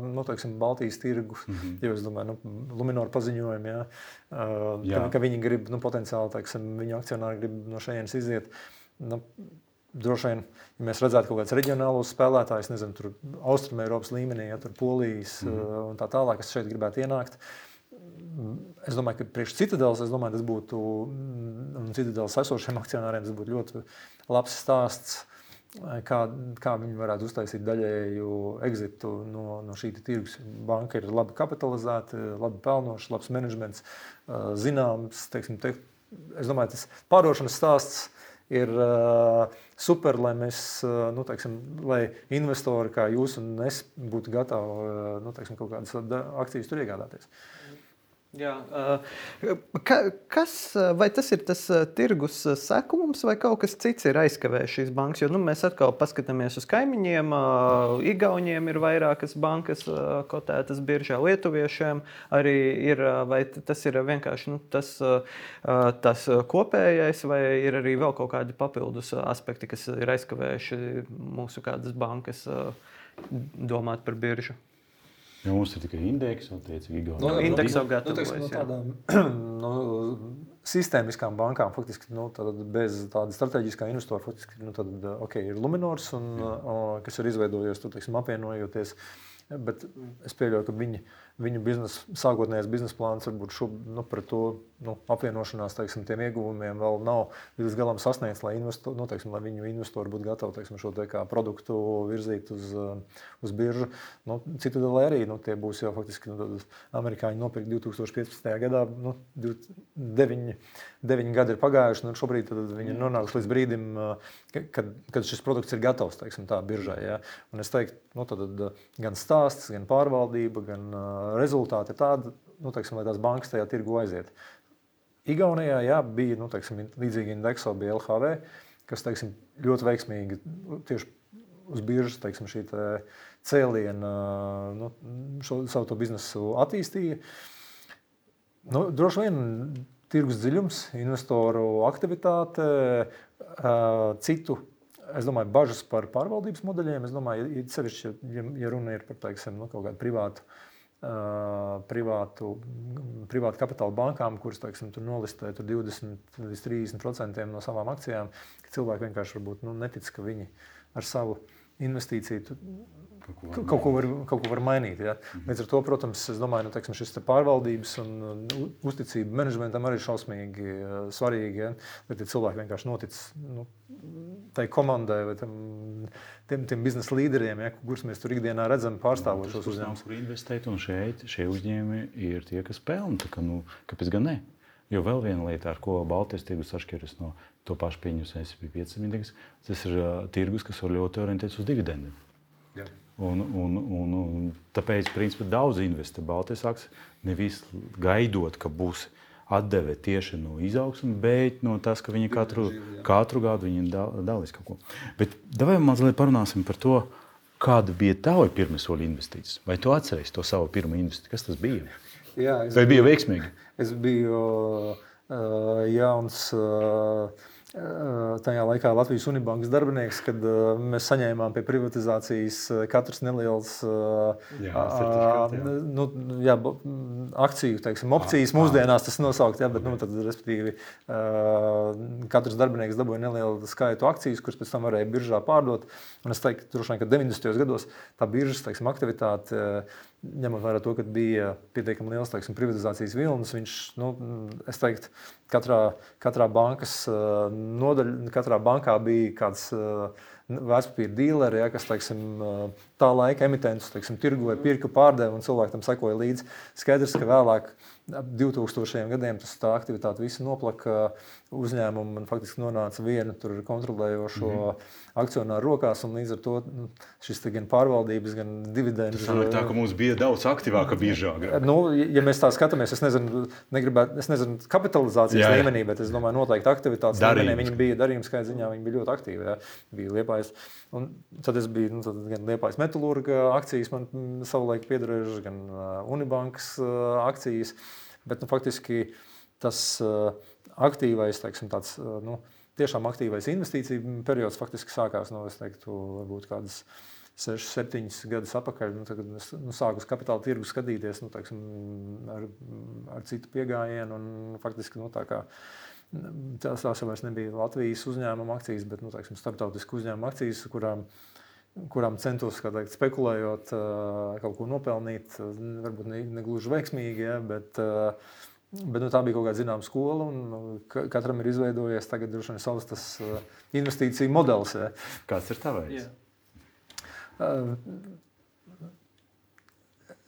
nu, teiksim, Baltijas tirgu. Mm-hmm. Jo es domāju, nu, Luminor paziņojumi, ja, jā. Ka, ka viņi grib, nu, potenciāli, teiksim, viņu akcionāri grib no šejienes iziet. Nu, droši vien, ja mēs redzētu kaut kādus reģionālos spēlētājus, nezinu, tur Austruma Eiropas līmenī, ja, tur Polijas mm-hmm. un tā tālāk, kas šeit gribētu ienākt. Es domāju, ka priekš Citadeles, es domāju, tas būtu, un Citadeles esošiem akcionāriem, tas būtu ļoti labs stāsts, kā, kā viņi varētu uztaisīt daļēju exitu no, no šī tirgus. Banka ir labi kapitalizēta, labi pelnoša, labs menedžments, zināms, teiksim, te, es domāju, tas pārdošanas stāsts ir uh, super, lai mēs, uh, nu, teiksim, lai investori kā jūs un es būtu gatavi, uh, nu, teiksim, kaut kādas akcijas tur iegādāties. Jā, ka, kas, vai tas ir tas tirgus sekums vai kaut kas cits ir aizkavējis šīs bankas? Jo nu, mēs atkal paskatāmies uz kaimiņiem, Igauniem ir vairākas bankas kotētas biržā, lietuviešiem arī ir, vai tas ir vienkārši nu, tas, tas kopējais, vai ir arī vēl kaut kādi papildus aspekti, kas ir aizkavējuši mūsu kādas bankas domāt par biržu? Ja mums ir tikai indeks, attiecīgi Igaunija. No, indeks jau gatavojas, nu, tādām no, sistēmiskām bankām, faktiski, nu, bez tāda strateģiskā investora, faktiski, nu, tad, ok, ir Luminors, un, mm. o, kas ir izveidojies, tu, teiksim, apvienojoties Bet es pieļauju, ka viņi, viņu biznes, sākotnējais biznesa plāns varbūt šo, nu, par to nu, apvienošanās teiksim, tiem ieguvumiem vēl nav līdz galam sasniegts, lai, investo, nu, teiksim, lai viņu investori būtu gatavi teiksim, šo te kā produktu virzīt uz, uz biržu. Nu, Citadele arī nu, tie būs jau faktiski nu, amerikāņi nopirkt divi tūkstoši piecpadsmitajā gadā. Nu, deviņi, deviņi gadi ir pagājuši, un šobrīd viņi nonāks līdz brīdim, kad, kad šis produkts ir gatavs teiksim, tā biržai. Ja? Un es teiktu, nu, tad, gan stāsts, gan pārvaldība, gan uh, rezultāti ir tādi, nu, teiksim, lai tās bankas tajā tirgu aiziet. Igaunijā jā, bija nu, teiksim, līdzīgi Indexo, bija L H V, kas teiksim, ļoti veiksmīgi tieši uz biržas teiksim, šī te cēliena nu, šo, savu to biznesu attīstīja. Nu, droši vien tirgus dziļums, investoru aktivitāte, uh, citu es domāju, bažas par pārvaldības modeļiem. Es domāju, ja, sevišķi, ja, ja runa ir par teiksim, nu, kaut kādu privātu, uh, privātu, privātu kapitāla bankām, kuras teiksim, tur nolistē tur divdesmit līdz trīsdesmit procenti no savām akcijām, ka cilvēki vienkārši varbūt, nu, netic, ka viņi ar savu investīciju tu, kaut, ko kaut, ko var, kaut ko var mainīt. Ja? Līdz ar to, protams, es domāju, nu, teiksim, šis te pārvaldības un uh, uzticība menedžmentam arī ir šausmīgi uh, svarīgi, ja? Lai tie cilvēki vienkārši notic nu, tai komandai vai tam, tiem, tiem biznesa līderiem, ja? Kurus mēs tur ikdienā redzam pārstāvot šos uzņēmumus. Kur investēt, un šeit šie uzņēmumi ir tie, kas pelna. Tā kā, nu, kāpēc gan ne? Jo vēl viena lieta, ar ko Baltijas tirgus atšķiras no to pašu pieņems S and P piecsimt indeks, tas ir uh, tirgus, kas var ļoti orientēts uz dividendiem. Jā. Un, un, un, un tāpēc, principā, daudz investē Baltijas akcijas, nevis gaidot, ka būs atdeve tieši no izaugsmes, bet no tas, ka viņi katru, katru gadu viņi dalīs kaut ko. Bet davai mazliet parunāsim par to, kāda bija tava pirmā soļa investīcijas. Vai tu atceries to savu pirmo investīciju? Kas tas bija? Jā, Vai bija veiksmīgi? Es biju uh, jauns uh, tajā laikā Latvijas Unibankas darbinieks, kad uh, mēs saņēmām pie privatizācijas katrs neliels uh, jā, uh, nu, jā, akciju, teiksim, opcijas. Mūsdienās tas nosaukt, jā, bet nu, tad, respektīvi, uh, katrs darbinieks dabūja nelielu skaitu akcijas, kuras pēc tam varēja biržā pārdot. Un es teiktu, droši vien, ka deviņdesmitajos gados tā biržas, teiksim, aktivitāte, ņemot vērā to, ka bija pietiekami liels teiksim, privatizācijas vilnis, viņš, nu, es teiktu, katrā, katrā bankas nodaļa, katrā bankā bija kāds vērtspapīra dīleri, ja, kas teiksim, tā laika emitentus teiksim, tirgoja, pirka, pārdeva un cilvēki tam sekoja līdzi. Skaidrs, ka vēlāk ap divtūkstošajiem gadiem tas tā aktivitāte visi noplaka, uzņēmumi man faktiski nonāca viena tur kontrolējošo mm-hmm. akcionāru rokās, un līdz ar to šis te gan pārvaldības, gan dividendu. Tas sanāk tā, ka mums bija daudz aktīvāka biržā. Nu, ja mēs tā skatāmies, es nezinu, negribētu, es nezinu kapitalizācijas jā, jā. līmenī, bet es domāju, noteikti aktivitātes līmenī viņi bija darījuma skaita ziņā, viņi bija ļoti aktīvi, jā. Bija Liepājas. Un tad es biju, nu, tad gan Liepājas metalurga akcijas man savulaik piederējušas, gan Unibankas akcijas, bet, nu, faktiski tas aktīvais, teiksim, tāds, nu, tiešām aktīvais investīciju periods faktiski sākās, nu, es teiktu, varbūt kādas sešas, septiņas gadus atpakaļ, nu, tagad es nu, sāku uz kapitāla tirgu skatīties, nu, teiksim, ar, ar citu piegājienu, un faktiski, nu, tā kā tās jau vairs nebija Latvijas uzņēmuma akcijas, bet, nu, teiksim, starptautisku uzņēmuma akcijas, kurām, kurām centos, kā teikt, spekulējot, kaut ko nopelnīt, varbūt ne, ne gluži veiksmīgi, ja, bet, bet nu, tā bija kaut kāda zināma skola, un katram ir izveidojies tagad droši vien savs tas investīciju modelis. Ja. Kāds ir tavējs? Yeah.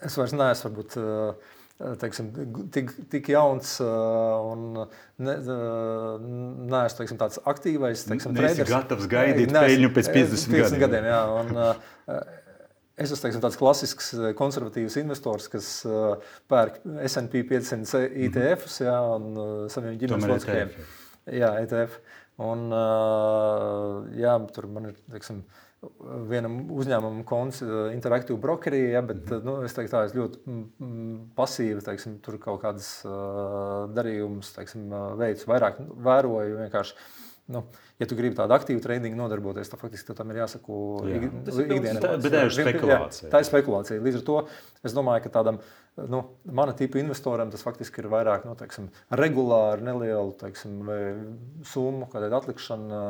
Es vairs neesmu, varbūt, teiksim, tik, tik jauns un ne, neesmu teiksim, tāds aktīvais teiksim, traders. Nesi gatavs gaidīt peļņu pēc piecdesmit gadiem. gadiem jā, un, es esmu teiksim, tāds klasisks konservatīvs investors, kas pērk S and P piecsimt I T Fs jā, un saviem ģimenes locekļiem. Jā, E T F. Un, jā, tur man ir, teiksim, vienam uzņēmumam konts Interactive Brokerī, ja, bet nu, es teiktu tā, es ļoti pasīvi, teiksim, tur kaut kādas uh, darījumus, teiksim, veids, vairāk vēroju vienkārši. Nu, ja tu gribi tādu aktīvu tradingu nodarboties, tad faktiski tam ir jāsako ikdienā. Bet tā ir spekulācija. Jā, tā ir spekulācija. Līdz ar to es domāju, ka tādam nu, mana tipa investoram tas faktiski ir vairāk nu, teiksim, regulāri, nelielu teiksim, summu, kādēļ atlikšana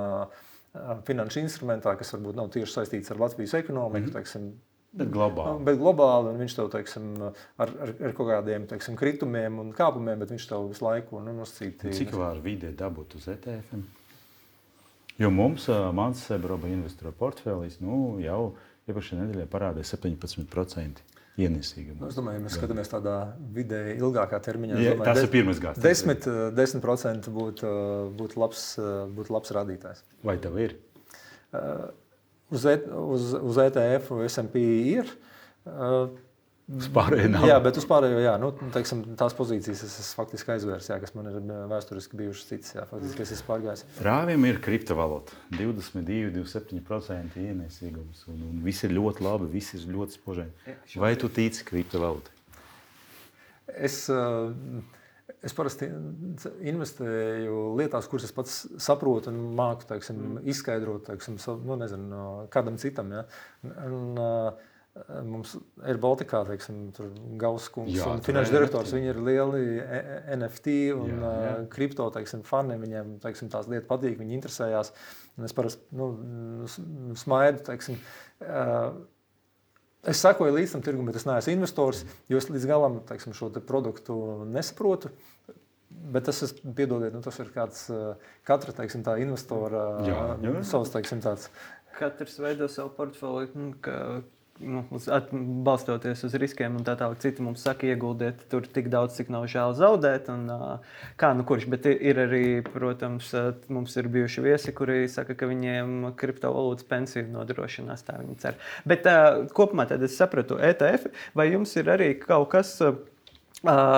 finanšu instrumentā, kas varbūt nav tieši saistīts ar Latvijas ekonomiku, mm-hmm. teiksim, Bet globāli. Bet globāli, un viņš tev, teiksim, ar, ar, ar kaut kādiem, teiksim, kritumiem un kāpumiem, bet viņš tev visu laiku, nu, nosacīti. Cik var vidē dabūt uz E T F-iem? Jo mums, mans Sebroba investora portfelis, nu, jau iepriekšējā nedēļā parādīja septiņpadsmit procenti ienesīgumu. Nu, es domāju, ja mēs skatāmies tādā vidēji ilgākā termiņā. Ja, domāju, tas ir pirmais gads. desmit procenti būtu būt labs, būt labs rādītājs. Vai tev ir? Uh, Uz, e, uz, uz E T F un S and P ir. Uh, uz pārējo nav. Jā, bet uz pārējo, jā, nu, teiksim, tās pozīcijas es esmu faktiski aizvērs, jā, kas man ir vēsturiski bijušas citas, jā, faktiski es esmu pārgājis. Rāviem ir kriptovalūta. divdesmit divi, divdesmit septiņi procenti ienesīgums. Un, un viss ir ļoti labi, viss ir ļoti spožaini. Vai tu tici kriptovalūtai? Es... Uh, Es parasti investēju lietās, kuras es pats saprotu un māku, teiksim, izskaidrot, teiksim, nu, nezinu, kādam citam. Ja? Un, uh, mums ir Baltikā, teiksim, tur Gauss kungs un finanšu direktors, viņi ir lieli N F T un jā, jā. Uh, kripto, teiksim, fani, viņiem, teiksim, tās lietas patīk, viņi interesējās. Un es parasti, nu, smaidu, teiksim, uh, es sekoju līdz tam tirgum, bet es neesmu investors, jo es līdz galam, teiksim, šo te produktu nesaprotu. Bet tas, es, piedodiet, nu, tas ir kāds, katra, teiksim, tā investora jā, jā. savs, teiksim, tāds. Katrs veido savu portfeli, nu, ka, nu, uz, at, balstoties uz riskiem un tā tālāk. Citi mums saka, ieguldiet tur tik daudz, cik nav žēl zaudēt. Un, kā nu kurš, bet ir arī, protams, mums ir bijuši viesi, kuri saka, ka viņiem kriptovalūtas pensiju nodrošinās, tā viņi cer. Bet kopumā tad es sapratu E T F, vai jums ir arī kaut kas... Uh,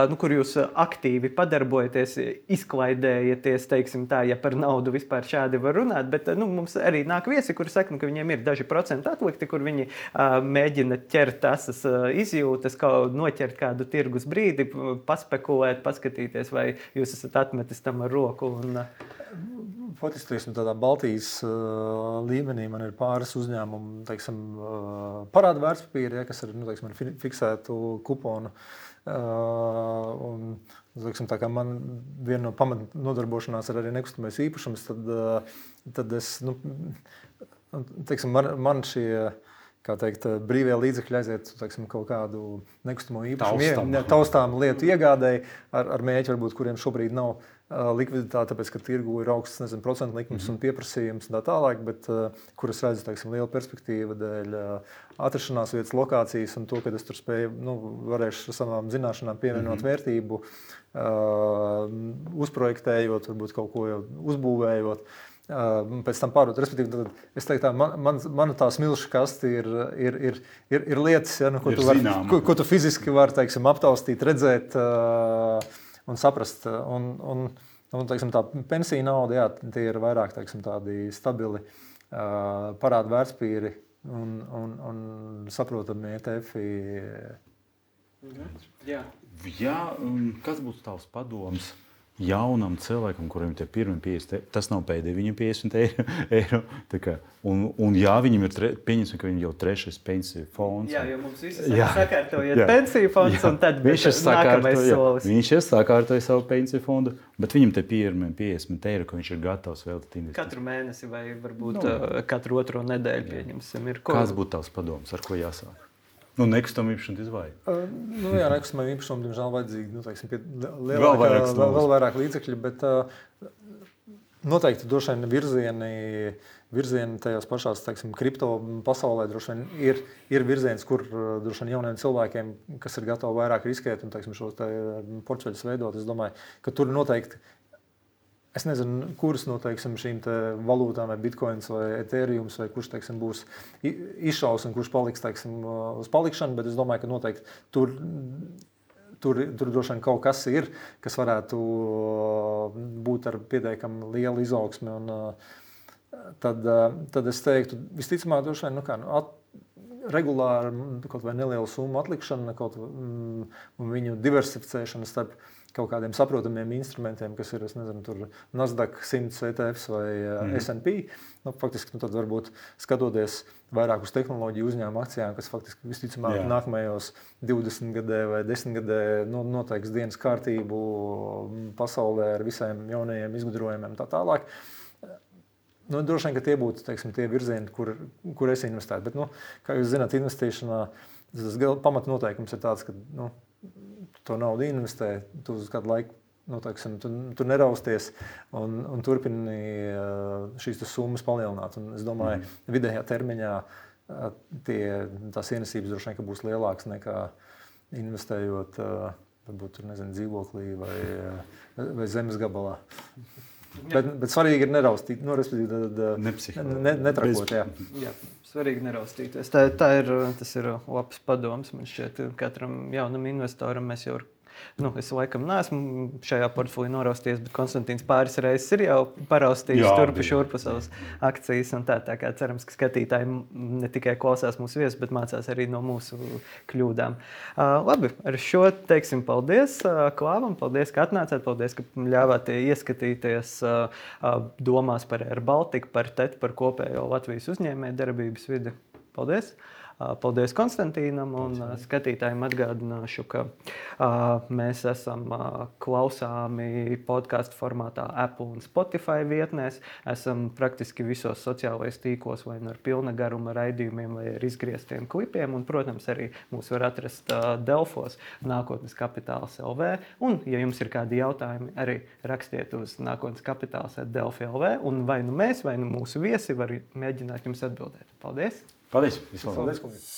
nu, kur jūs aktīvi padarbojaties, izklaidējaties, teiksim tā, ja par naudu vispār šādi var runāt, bet nu, mums arī nāk viesi, kuri saka, nu, ka viņiem ir daži procenti atlikti, kur viņi uh, mēģina ķert tasas uh, izjūtas, kā noķert kādu tirgus brīdi, paspekulēt, paskatīties, vai jūs esat atmetis tam ar roku. Un, uh... Faktiski tādā Baltijas uh, līmenī man ir pāris uzņēmumu, teiksim, uh, parāda vērtspapīri, ja, kas ir, nu, teiksim, ar fiksētu kuponu. Uh, un, teiksim, tā kā man viena no pamat nodarbošanās ir arī nekustamais īpašums, tad, uh, tad es, nu, teiksim, man, man šie, kā teikt, brīvie līdzekļi aiziet, teiksim, kaut kādu nekustamo īpašumu, taustām, taustām lietu iegādēji ar, ar mēķi, varbūt, kuriem šobrīd nav uh, likviditāte, tāpēc, ka tirgu ir augsts, nezinu, procentu likums mm-hmm. un pieprasījums un tā tālāk, bet uh, kur es redzu, teiksim, liela perspektīva dēļ uh, atrašanās vietas, lokācijas un to, ka es tur spēju, nu, varēšu ar savām zināšanām pievienot mm-hmm. vērtību, uh, uzprojektējot, varbūt kaut ko jau uzbūvējot. Uh, pēc tam pārdot. Respektīvi, tad, es teiktu, tā, man, man, mana tā smilšu kaste ir, ir, ir, ir, ir lietas, ja, nu, ko, ir tu var, ko, ko tu fiziski vari, teiksim, aptaustīt, redzēt uh, un saprast. Un, un, un teiksim, tā pensija nauda, jā, tie ir vairāk, teiksim, tādi stabili uh, parādu vērtspapīri un, un, un saprotami E T F-i. Jā. Jā, kas būtu tavs padoms jaunam cilvēkam, kuriem tie pirmi piecdesmit, tas nav pēdējie viņam piecdesmit eiro. Kā, un, un jā, viņam ir, tre, pieņemsim, ka viņam jau trešais pensiju fonds. Jā, jo mums visi sakārtojiet pensiju fonds, jā. Un tad viņš ir nākamais solis. Viņš ir sakārtoja savu pensiju fondu, bet viņam te pirmi piecdesmit eiro, ka viņš ir gatavs veltīt investīciju. Katru mēnesi vai varbūt no. katru otro nedēļu pieņemsim. Ir ko... Kāds būtu tavs padoms, ar ko jāsāk? Nu, nekustamā īpašuma izvajag. Uh, nu, jā, nekustamā īpašuma, diemžēl, vajadzīgi, nu, teiksim, pie, lielākā, vēl, vairāk vēl, vēl vairāk līdzekļu, bet uh, noteikti droši vien virzieni, virzieni tajās pašās, teiksim, kripto pasaulē droši vien ir, ir virziens, kur uh, droši vien jauniem cilvēkiem, kas ir gatavi vairāk riskēt un, teiksim, šos te portfeļus veidot, es domāju, ka tur noteikti es nezinu, kuras no, teiksim, šīm te valūtām, vai bitcoins, vai ethereums, vai kurš, teiksim, būs izšaus un kurš paliks, teiksim, uz palikšanu, bet es domāju, ka noteikti tur, tur, tur droši vien kaut kas ir, kas varētu būt ar pietiekami lielu izaugsmi. Un tad, tad es teiktu, visticamāk, droši vien, nu kā, nu, at, regulāri kaut vai nelielu summu atlikšana, kaut um, un viņu diversificēšana starp kaut kādiem saprotamiem instrumentiem, kas ir, es nezinu, tur Nasdaq simts E T Fs vai mm. S and P. Nu, faktiski, nu, tad varbūt skatoties vairāk uz tehnoloģiju uzņēmumu akcijām, kas faktiski visticamāk Jā. nākamajos divdesmit gadē vai desmit gadē nu, noteiks dienas kārtību pasaulē ar visiem jaunajiem izgudrojumiem tā tālāk. Nu, droši vien, ka tie būtu teiksim, tie virzieni, kur, kur es investētu. Bet, nu, kā jūs zināt, investīšanā tas pamatnoteikums ir tāds, ka nu, to naudu investē, tu uz kādu laiku nu, teiksim, tu, tu nerausties un, un turpini šīs summas palielināt. Un es domāju, mm. vidējā termiņā tie, tās ienesības droši vien būs lielākas nekā investējot varbūt, nezinu, dzīvoklī vai, vai zemes gabalā. Bet, bet svarīgi ir neraustīt, nu, respektīvi, ne, netrakot. Jā. Jā, svarīgi neraustīties. Tā, tā ir, tas ir labs padoms. Man šķiet, katram jaunam investoram mēs jau Nu, es laikam neesmu šajā portfelī noraustījies, bet Konstantīns pāris reizes ir jau paraustījis turpu šurpu savas akcijas. Tā, tā kā cerams, ka skatītāji ne tikai klausās mūsu viesus, bet mācās arī no mūsu kļūdām. Uh, labi, ar šo teiksim paldies uh, Klāvam, paldies, ka atnācāt, paldies, ka ļāvāt ieskatīties uh, uh, domās par Air Baltica, par T E T, par kopējo Latvijas uzņēmēju darbības vidi. Paldies! Paldies Konstantīnam un skatītājiem atgādināšu, ka uh, mēs esam uh, klausāmi podcastu formātā Apple un Spotify vietnēs. Esam praktiski visos sociālajos tīklos vai ar pilna garuma raidījumiem vai ar izgrieztiem klipiem. Un, protams, arī mūs var atrast uh, Delfos Nākotnes Kapitāls L V. Un, ja jums ir kādi jautājumi, arī rakstiet uz Nākotnes Kapitāls at Delfi L V. Un vai nu mēs, vai nu mūsu viesi var mēģināt jums atbildēt. Paldies! Paldies! Paldies! Paldies.